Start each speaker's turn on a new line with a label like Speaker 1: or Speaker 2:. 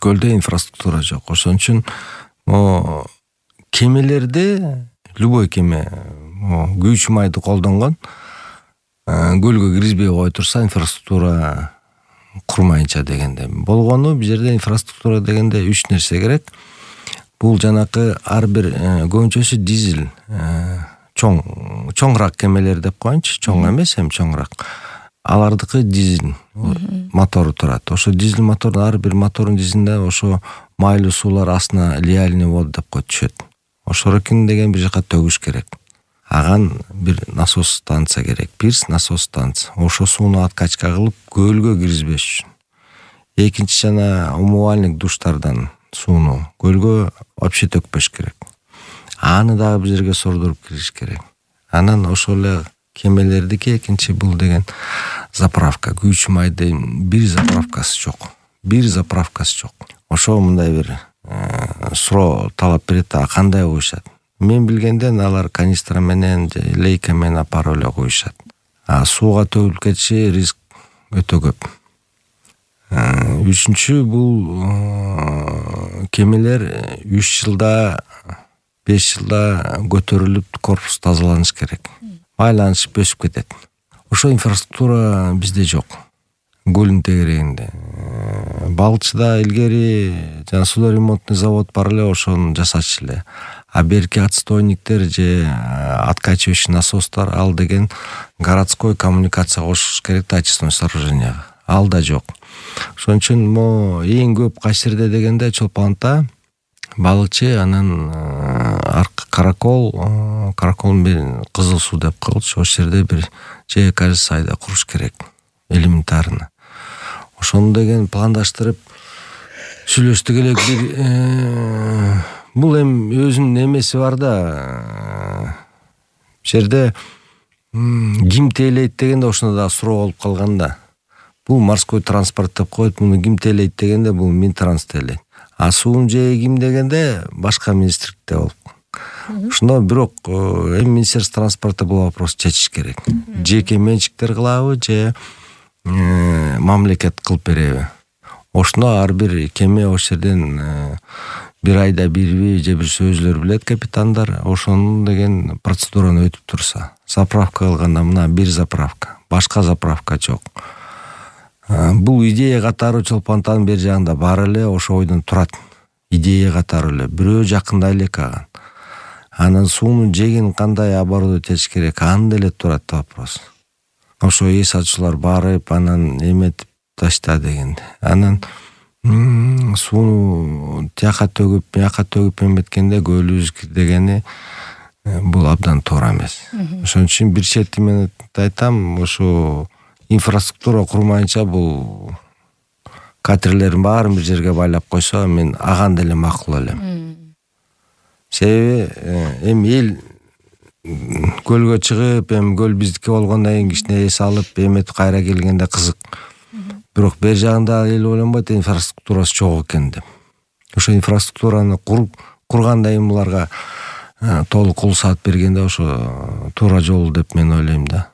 Speaker 1: көлдө инфраструктура жок. Ошон үчүн кемелерде любой кеме күйүүчү майды колдонгон көлгө киргизбей кое турса инфраструктура курмайынча дегенде болгону. Бул жерде инфраструктура дегенде 3 нерсе керек. Бул жанакы ар бир көбүнчөсү дизель чоңураак кемелер деп коеюнчу, чоң эмес, эми чоңураак. Алардыкы дизель мотору турат. Ошо дизель мотордун ар бир мотордун дизелинде ошо майлуу суулар астына лиальный вода деп коюп түшөт. Ошорокин деген бир жака төгүш керек. Аган бир насос станция керек. Пирс насос станция. Ошо сууну откачка кылып көлгө киргизбеш үчүн. Экинчи жана умывальник душтардан сууну көлгө вообще төкпөш керек. Аны дагы бир жерге сордуруп киргизиш керек. Анан ошол эле кемелердики экинчи бул деген заправка. Күйүүчү майдын бир заправкасы жок. Ошо мындай бир суроо талап берет да, кандай коюшат? Мен билгенден алар канистра менен же лейка менен апарып эле коюшат. Сууга төгүлүп кетиши риск өтө көп. Үчүнчү бул кемелер 3 жылда 5 жылда көтөрүлүп корпус тазаланыш керек. Айланышып өсүп кетет. Ошо инфраструктура бизде жок. Көлдүн тегерегинде. Балчыда илгери жана судоремонтный завод бар эле, ошону жасачу эле. А берки отстойниктер же откачивающий насостор ал деген городской коммуникация кошуш керек да, очистной сооруженияга. Ал да жок. Ошон үчүн эң көп кайсы жерде дегенде Чолпонта балыкчы, анан каракол менен Кызыл суу деп коелучу. Ошол жерде бир же кажется айда куруш керек. Элементарно. Ошону деген пландаштырып сүйлөштүк элек. Бул эми өзүнүн эмеси бар да. Жерде ким тейлейт дегенде ошондо да суроо болуп калган да. Бул морской транспорт деп коет, муну ким тейлейт дегенде бул Минтранс тейлейт. А суун жээги ким дегенде башка министрликте болуп. Ошондо бирок эми Министерство транспорта бул вопросту чечиш керек. Жеке менчиктер кылабы же мамлекет кылып береби? Ошондо ар бир кеме ошол жерден бир айда бирби же бир өзүлөрү билет капитандар, ошону деген процедураны өтүп турса. Заправка кылганда мына бир заправка, башка заправка жок. Бул идея катары Чолпонтанын бер жагында бар эле, ошо ойдон турат. Идея катары эле бирөө жакындай элек аган. Анан суунун жегин кандай оборудовать этиш керек, аны деле турат вопрос. Ошо эс ачуулар барып, анан эметип ташта дегенде. Анан сууну тияка төгүп эметкенде көлүбүз дегени бул абдан туура эмес. Ошон үчүн бир чети мен айтам, ошо инфраструктура курмайынча бул катерлердин баарын бир жерге байлап койсо, мен аган деле макул элем. Себеби эми эл көлгө чыгып, эми көл биздики болгондон кийин кичине эс алып, эметип кайра келгенде кызык. Бирок бер жагында эл ойлонбойт, инфраструктурасы жок экен деп. Ошо инфраструктураны курганда эми буларга толук кул саат бергенде ошо туура жол деп мен ойлойм да.